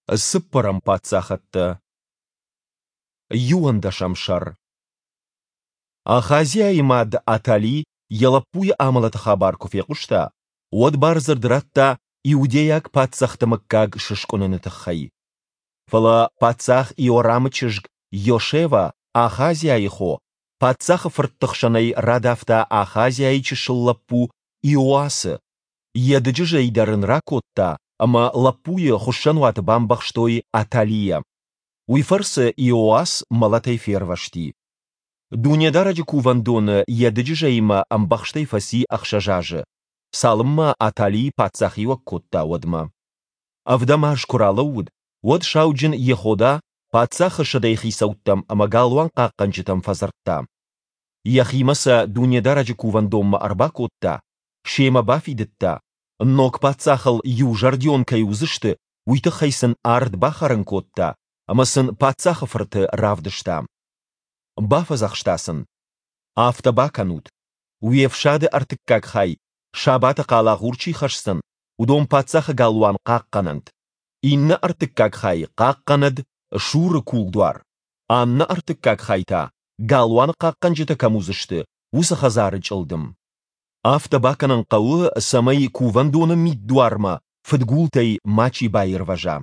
Цыппӕрӕм паддзахӕдтӕ. Иуӕндӕсӕм сӕр. Ахазиайы мад Атали йӕ лӕппуйы амӕлӕты хабар куы фехъуыста, уӕд бардзырд радта иудейаг паддзӕхты мыггаг сыскъуыныны тыххӕй. Фӕлӕ паддзах Иорамы чызг Йошева, Ахазиайы хо, паддзахы фыртты хсӕнӕй радавта Ахазиайы чысыл лӕппу Иоасы, йӕ дыджызӕй дӕр ын ракодта ӕмӕ лӕппуйы хуыссӕнуаты бамбӕхстой Аталийӕ. Уый фӕрцы Иоас мӕлӕтӕй фервӕзти. Дунедарӕджы кувӕндоны йӕ дыджызӕимӕ ӕмбӕхстӕй фӕци ӕхсӕз азы, цалынмӕ Атали паддзахиуӕг кодта, уӕдмӕ. Ӕвдӕм аз куы ралӕууыд, уӕд сауджын Йехода паддзахы сӕдӕйыхицӕуттӕм ӕмӕ галуан хъахъхъӕнджытӕм фӕдзырдта. Йӕхимӕ сӕ Дунедарӕджы кувӕндонмӕ ӕрбакодта, семӕ бафидыдта, ног паддзахыл иузӕрдион кӕй уыдзысты, уый тыххӕй сын ард бахӕрын кодта ӕмӕ сын паддзахы фырты равдыста. Бафӕдзӕхста сын: Афтӕ бакӕнут, уе фсады ӕртыккаг хай сабаты хъалагъур чи хӕсдзӕн, уыдон паддзахы галуан хъахъхъӕнӕнт, иннӕ ӕртыккаг хай хъахъхъӕнӕд Суры кулдуар, аннӕ ӕртыккаг хай та, галуаны хъахъхъӕнджытӕ кӕм уыдзысты, уыцы хӕдзары чъылдым. Афтӕ бакӕнын хъӕуы, цӕмӕй кувӕндоны миддуармӕ фыдгултӕй мачи баирвӕза.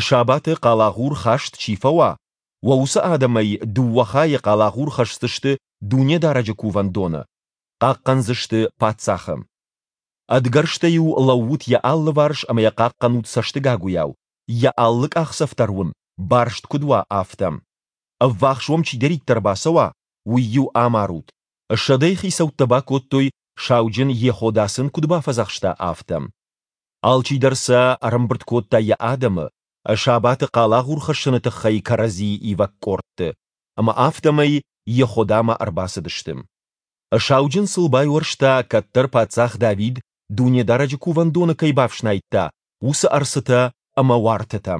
Сабаты хъалагъур хаст чи фӕуа, уӕ уыцы адӕмӕй дыууӕ хайы хъалагъур хӕсдзысты Дунедарӕджы кувӕндоны, хъахъхъӕндзысты паддзахы. Ӕдгӕрзтӕ-иу лӕуут йӕ алыварс ӕмӕ йӕ хъахъхъӕнут цӕстыгагуыйау, йӕ алы къахдзӕф дӕр уын барст куыд уа, афтӕ. Ӕввахс уӕм чидӕриддӕр бацӕуа, уый-иу амарут. Сӕдӕйы хицӕуттӕ бакодтой, сауджын Йехода сын куыд бафӕдзӕхста, афтӕ. Алчидӕр сӕ ӕрӕмбырд кодта йӕ адӕмы, сабаты хъалагъур хӕссыны тыххӕй кӕрӕдзийы ивӕг къордты, ӕмӕ афтӕмӕй Йеходамӕ ӕрбацыдысты. Сауджын сыл байуӕрста, кӕддӕр паддзах Давид Дунедарӕджы кувӕндоны кӕй бафснайдта, уыцы ӕрцытӕ ӕмӕ уартытӕ.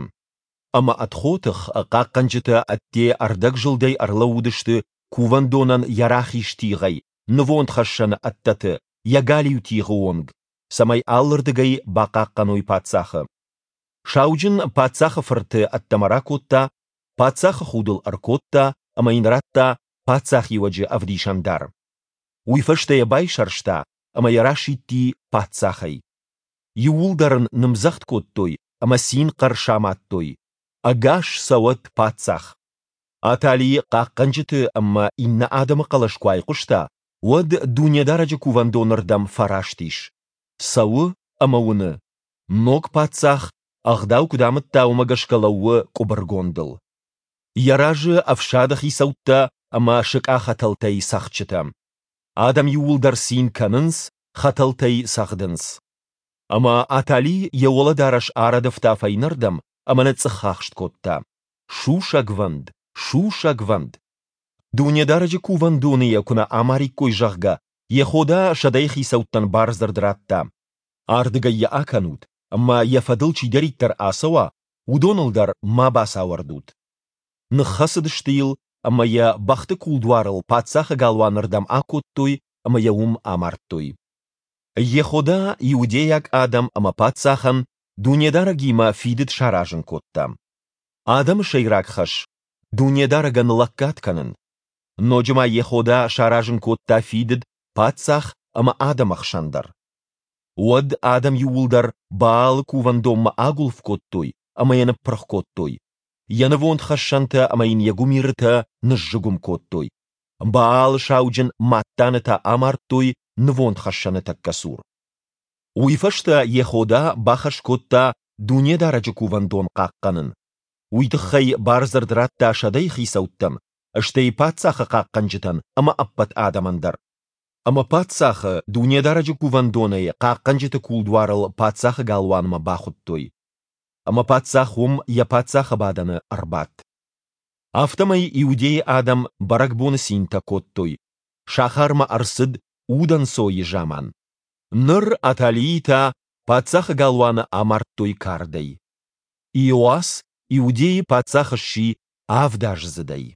Ӕмӕ ӕдхотых хъахъхъӕнджытӕ ӕдде ӕрдӕгзылдӕй ӕрлӕууыдысты кувӕндонӕн йӕ рахиз тигъӕй нывондхӕссӕны ӕддӕты йӕ галиу тигъы онг, цӕмӕй алырдыгӕй бахъахъхъӕной паддзахы. Сауджын паддзахы фырты ӕддӕмӕ ракодта, паддзахы худ ыл ӕркодта ӕмӕ йын радта паддзахиуӕджы ӕвдисӕндар. Уый фӕстӕ йӕ байсӕрста ӕмӕ йӕ расидти паддзахӕй. Иууылдӕр ын нымдзӕгъд кодтой ӕмӕ цин-хъӕр самадтой: «Ӕгас цӕуӕд паддзах!» Атали хъахъхъӕнджыты ӕмӕ иннӕ адӕмы хъӕлӕс куы айхъуыста, уӕд Дунедарӕджы кувӕндоны рдӕм фӕраст ис. Цӕуы ӕмӕ уыны, ног паддзах ӕгъдау куыд амыдта, уымӕ гӕсгӕ лӕууы къуыбыргондыл. Йӕ разы ӕфсады хицӕуттӕ ӕмӕ сыкъахӕтӕлтӕй цӕгъдджытӕ. Адӕм иууылдӕр цин кӕнынц, хӕтӕлтӕй цӕгъдынц. Ӕмӕ Атали йӕ уӕлӕдарӕс арӕдывта фӕйнӕрдӕм ӕмӕ ныцъцъӕхахст кодта: Сусӕгвӕнд! Сусӕгвӕнд! Дунедарӕджы кувӕндоны йӕ куы нӕ амариккой, зӕгъгӕ, Йехода сӕдӕйыхицӕуттӕн бардзырд радта: Ардыгӕй йӕ акӕнут, ӕмӕ йӕ фӕдыл чидӕриддӕр ацӕуа, уыдоныл дӕр ма бацауӕрдут. Ныххӕцыдысты йыл ӕмӕ йӕ бӕхты кулдуарыл паддзахы галуаны рдӕм акодтой ӕмӕ йӕ уым амардтой. Йехода иудейаг адӕм ӕмӕ паддзахӕн Дунедарӕгимӕ фидыд саразын кодта. Адӕмы сӕйраг хӕс – Дунедарӕгӕн лӕггад кӕнын. Ноджы ма Йехода саразын кодта фидыд паддзах ӕмӕ адӕмы хсӕн дӕр. Уӕд адӕм иууылдӕр Баалы кувӕндонмӕ агуылф кодтой ӕмӕ йӕ ныппырх кодтой, йӕ нывондхӕссӕнтӕ ӕмӕ йын йӕ гуымирытӕ ныззыгуым кодтой. Баалы сауджын Маттаны та амардтой нывондхӕссӕны тӕккӕ цур. Уый фӕстӕ Йехода бахӕс кодта Дунедарӕджы кувӕндон хъахъхъӕнын. Уый тыххӕй бардзырд радта сӕдӕйыхицӕуттӕн, стӕй паддзахы хъахъхъӕнджытӕн ӕмӕ ӕппӕт адӕмӕн дӕр. Ӕмӕ паддзахы Дунедарӕджы кувӕндонӕй хъахъхъӕнджыты кулдуарыл паддзахы галуанмӕ бахуыдтой. Ӕмӕ паддзах уым йӕ паддзахы бадӕны ӕрбадт. Афтӕмӕй Иудейы адӕм бӕрӕгбоны цинтӕ кодтой, сахармӕ ӕрцыд удӕнцойы заман. Ныр Аталийы та паддзахы галуаны амардтой кардӕй. Иоас Иудейы паддзах сси авдаздзыдӕй.